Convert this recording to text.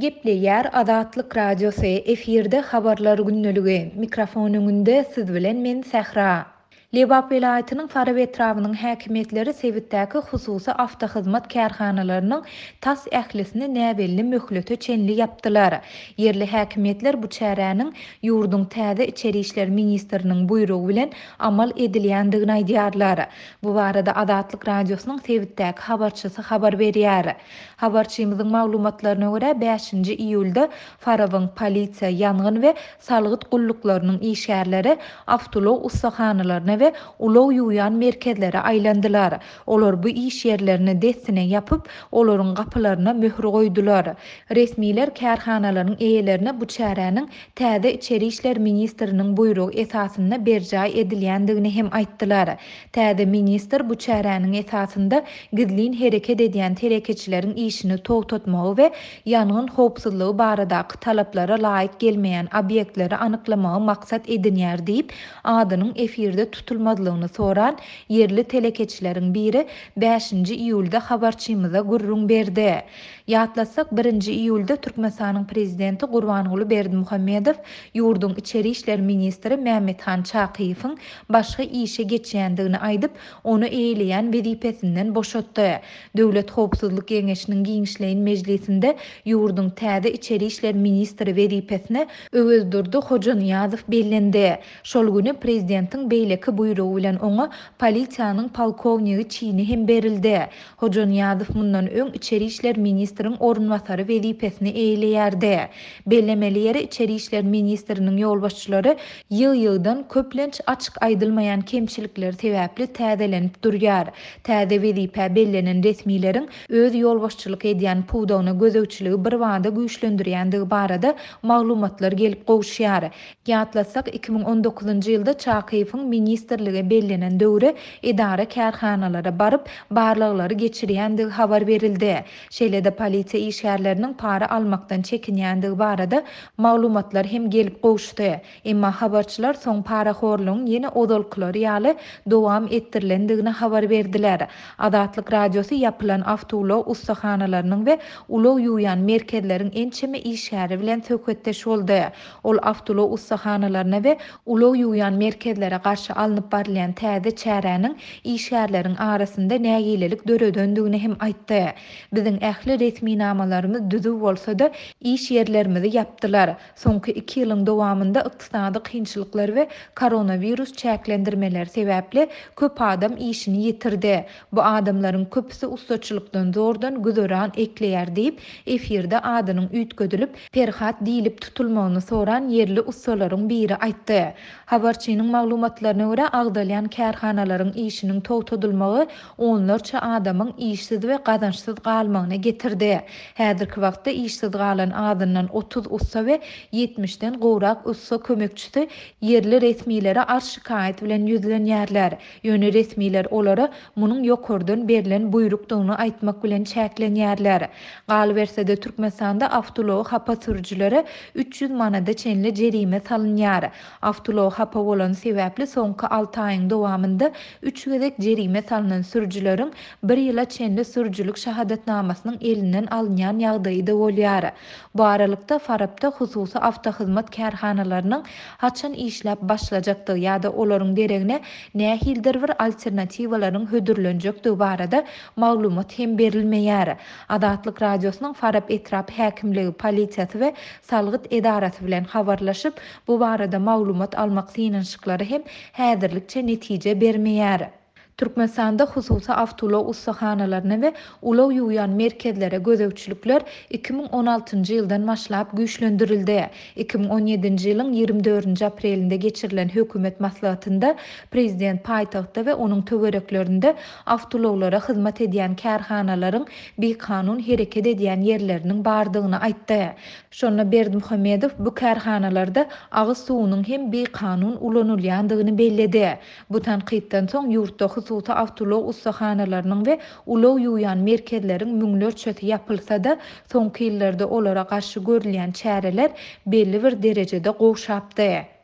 Gepleýär Azatlyk Radiosy, efirde Habarlar gündeligi, mikrofon öňünde siz bilen men Sähra. Lebap welaýatynyň Farap etrabynyň häkimiýetleri sebitdäki hususy awtohyzmat kärhanalarynyň tas ählisini näbelli möhlete çenli ýapdylar. Ýerli häkimiýetler bu çäräniň ýurduň täze içeri işler ministriniň buýrugy bilen amal edilýändigini aýdýarlar. Bu barada Azatlyk Radiosynyň sebitdäki habarçysy habar berýär. Habarçymyzyň maglumatlaryna görä, bäşinji iýulda Farabyň polisiýa, ýangyn we salgyt gulluklarynyň işgärleri awtoulag ussahanalaryna we ulag ýuwýan merkezlere aýlandylar. Olar bu iş ýerlerini dessine ýapyp, olaryň gapylaryna möhür goýdular. Resmiler kärhanalaryň eýelerine bu çäräniň täze içeri işler ministriniň buýrugy esasynda berjaý edilýändigini hem aýtdylar. Täze ministr bu çäräniň esasynda gizlin hereket edýän telekeçileriň işini togtatmagy we ýangyn howpsuzlygy baradaky talaplara laýyk gelmeýän obýektleri anyklamagy maksat edinýär diýip, adynyň efirde tutulmazlygyny soran ýerli telekeçileriň biri bäşinji iýulda habarçymyza gürrüň berdi. Ýatlatsak, birinji iýulda Türkmenistanyň Prezidenti Gurbanguly Berdimuhamedow ýurduň içeri işler ministri Mämmethan Çakyýewiň başga işe geçýändigini aýdyp, ony eýeleýän wezipesinden boşatdy. Döwlet howpsuzlyk geňeşiniň giňişleýin mejlisinde ýurduň täze içeri işler ministri wezipesine Öwezdurdy Hojanyýazow bellendi. Şol güni prezidentiň beýleki buýrugy bilen oňa polisiýanyň polkownigi çini hem berildi. Hojanyýazow mundan öň içeri işler ministriň orunbasary wezipesini eýeleýärdi. Bellemeli ýeri, içeri işler ministriniň ýolbaşçylary ýygy-ýygydan, köplenç açyk aýdylmaýan kemçilikler sebäpli täzelenip durýar. Täze wezipä bellenen resmileriň öz ýolbaşçylyk edýän pudagyna gözegçiligi birbada güýçlendirýändigi barada maglumatlar gelip gowuşýar. Ýatlatsak, 2019-njy ýylda Çakyýewiň ministrlige bellenen döwri edara-kärhanalara baryp, barlaglary geçirýändigi habar berildi. Şeýle-de polisiýa işgärleriniň para almakdan çekinýändigi barada maglumatlar hem gelip gowuşdy. Emma habarçylar soň parahorlugyň ýene ozalkylary ýaly dowam etdirilendigini habar berdiler. Azatlyk Radiosy ýapylan awtoulag ussahanalarynyň we ulag ýuwýan merkezleriň ençeme işgäri bilen söhbetdeş boldy. Ol awtoulag ussahanalaryna we ulag ýuwýan merkezlere garşy alnyp barylýan täze çäräniň işgärleriň arasynda nägilelik döredendigini hem aýtdy. Biziň ähli resminamalarymyz düzüw bolsa-da, iş ýerlerimizi ýapdylar. Soňky iki ýylyň dowamynda ykdysady kynçylyklar we koronawirus çäklendirmeleri sebäpli köp adam işini ýitirdi. Bu adamlaryň köpüsi ussaçylykdan zordan güzeran ekleýär diýip, efirde adynyň üýtgedilip, Perhat diýlip tutulmagyny soran ýerli ussalaryň biri aýtdy. Habarçynyň maglumatlaryna görä, agzalýan kärhanalaryň işiniň togtadylmagy onlarça adamyň işsiz we gazançsyz galmagyna getirdi. Häzirki wagtda işsiz galan azyndan 30 ussa we ýetmişden gowrak ussa kömekçisi ýerli resmilere arz-şikaýat bilen ýüzlenýärler. Ýöne resmiler olara munuň ýokardan berlen buýrukdygyny aýtmak bilen çäklenýärler. Galyberse-de, Türkmenistanda awtoulagy hapa sürüjilere 300 manada çenli jerime salynýar. Awtoulag hapa bolany sebäpli soňky alty aýyň dowamynda üç gezek jerime salnan sürüjileriň bir ýyla çenli sürüjilik şahadatnamasynyň elinden alynýan ýagdaýy-da bolýar. Bu aralykda, Farapda hususy awtohyzmat kärhanalarynyň haçan işläp başlajakdygy ýa-da olaryň deregine nähilidir bir alternatiwalaryň hödürlenjekdigi barada maglumat hem berilmeýär. Azatlyk Radiosynyň Farap etrap häkimligi, polisiýasy we salgyt edarasy bilen habarlaşyp, bu barada maglumat almak synanyşyklary hem häzirlikçe netije bermeýär. Türkmenistanda hususy awtoulag ussahanalaryna we ulag ýuwýan merkezlere gözegçilikler 2016-njy ýyldan başlap güýçlendirildi. 2017-nji ýylyň 24-nji aprelinde geçirilen hökümet maslahatynda prezident paýtagtda we onuň töwereklerinde awtoulaglara hyzmat edýän kärhanalaryň bikanun hereket edýän ýerleriniň bardygyny aýtdy. Şonda Berdimuhamedow bu kärhanalarda agyz suwunyň hem bikanun ulanylýandygyny belledi. Bu tankytdan soň ýurtda hususy awtoulag ussahanalarynyň we ulag ýuwýan merkezleriň müňlerçesi ýapylsa-da, soňky ýyllarda olara garşy görülýän çäreler belli bir derejede gowşapdy.